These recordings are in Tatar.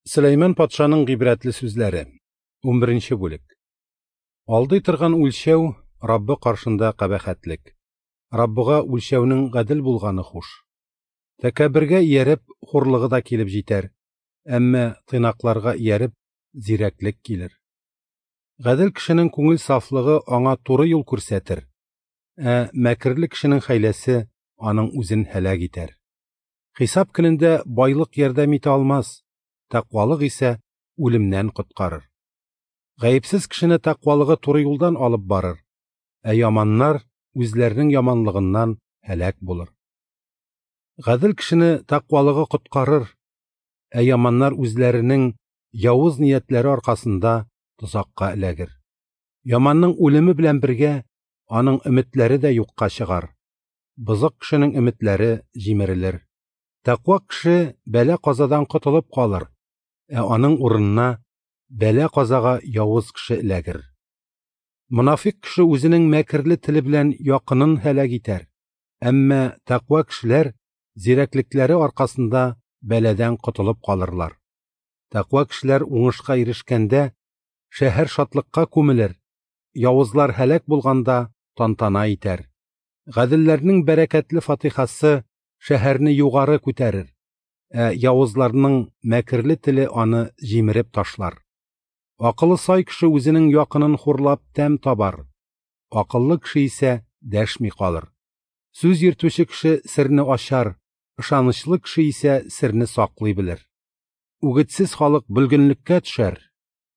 Сөләйман патшаның гыйбрәтле сүзләре. 11 бүлек. Алдый торган үлчәү Раббы каршында кабахәтлек. Раббыга үлчәүнең гадел булганы хуш. Тәкәббергә ияреп, хурлыгы да килеп җитәр, әмма тыйнакларга ияреп, зирәклек килер. Гадел кешенең күңел сафлыгы аңа туры юл күрсәтер, ә мәкерле кешенең хәйләсе аның үзен һәлак итәр. Хисап көнендә байлык ярдәм итә алмас, тәкъвалык исә үлемнән коткарыр. Гаепсез кешене тәкъвалыгы туры юлдан алып барыр, ә яманнар үзләренең яманлыгыннан һәлак булыр. Гадел кешене тәкъвалыгы коткарыр, ә яманнар үзләренең явыз ниятләре аркасында тозакка эләгер. Яманның үлеме белән бергә аның өметләре дә юкка чыгар. Бозык кешенең өметләре җимерелер. Тәкъва кеше бәла-казадан котылып калыр, ә аның урынына бәла-казага явыз кеше эләгер. Монафикъ кеше үзенең мәкерле теле белән якынын һәлак итәр, әмма тәкъва кешеләр зирәклекләре аркасында бәладән котылып калырлар. Тәкъва кешеләр уңышка ирешкәндә шәһәр шатлыкка күмелер, явызлар һәлак булганда тантана итәр. Гаделләрнең бәрәкәтле фатихасы шәһәрне югары күтәрер, ә явызларның мәкерле теле аны җимереп ташлар. Акылы сай кеше үзенең якынын хурлап тәм табар, акыллы кеше исә дәшми калыр. Сүз йөртүче кеше серне ачар, ышанычлы кеше исә серне саклый белер. Үгетсез халык бөлгенлеккә төшәр,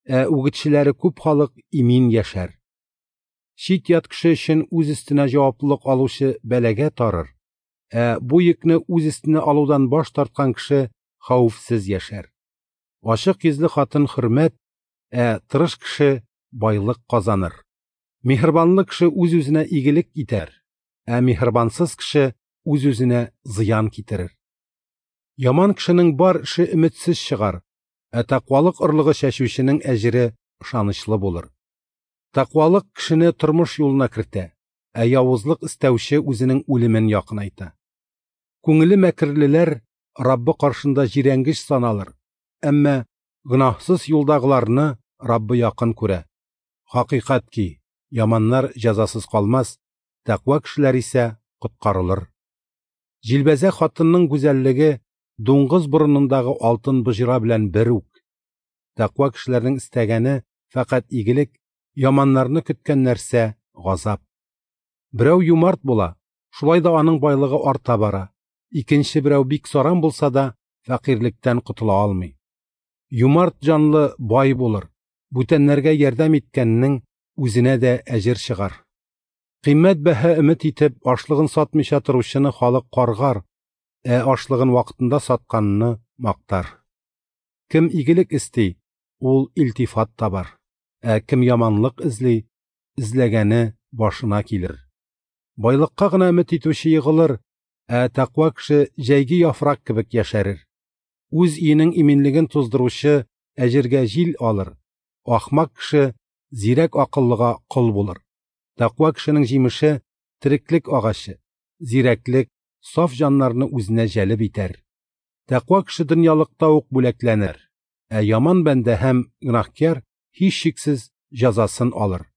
ә үгетчеләре күп халык имин яшәр. Чит-ят кеше өчен үз өстенә җаваплылык алучы бәлагә тарыр, ә бу йөкне үз өстенә алудан баш тарткан кеше хәвефсез яшәр. Ачык йөзле хатын хөрмәт, ә тырыш кеше байлык казаныр. Миһербанлы кеше үз-үзенә игелек итәр, ә миһербансыз кеше үз-үзенә зыян китерер. Яман кешенең бар эше өметсез чыгар, ә тәкъвалык орлыгы чәчүченең әҗере ышанычлы булыр. Тәкъвалык кешене тормыш юлына кертә, ә явызлык истәүче үзенең үлемен якынайта. Күңеле мәкерлеләр Раббы каршында җирәнгеч саналыр, әмма гөнаһсыз юлдагыларны Раббы якын күрә. Хакыйкать ки, яманнар җәзасыз калмас, тәкъва кешеләр исә коткарылыр. Җилбәзәк хатынның гүзәллеге дуңгыз борынындагы алтын боҗра белән бер үк. Тәкъва кешеләрнең истәгәне фәкать игелек, яманнарны көткән нәрсә газап. Берәү юмарт була, шулай да аның байлыгы арта бара. Икенче берәү бик саран булса да, фәкыйрьлектән котыла алмый. Юмарт җанлы бай булыр, бүтәннәргә ярдәм иткәннең үзенә дә әҗер чыгар. Кыйммәт бәһа өмет итеп, ашлыгын сатмыйча торучыны халык каргар, ә ашлыгын вакытында сатканны мактар. Кем игелек исти, ул илтифат табар, ә кем яманлык эзли, эзләгәне башына килер. Байлыкка гына өмет итүче егылыр, ә тәкъва кеше җәйге яфрак кебек яшәрер. Үз өенең иминлеген туздыручы әҗергә җил алыр, ахмак кеше зирәк акыллыга кол булыр. Тәкъва кешенең җимеше тереклек агачы, зирәклек саф җаннарны үзенә җәлеп итәр. Тәкъва кеше дөньялыкта ук бүләкләнер, ә яман бәндә һәм гөнаһкяр һичшиксез җәзасын алыр.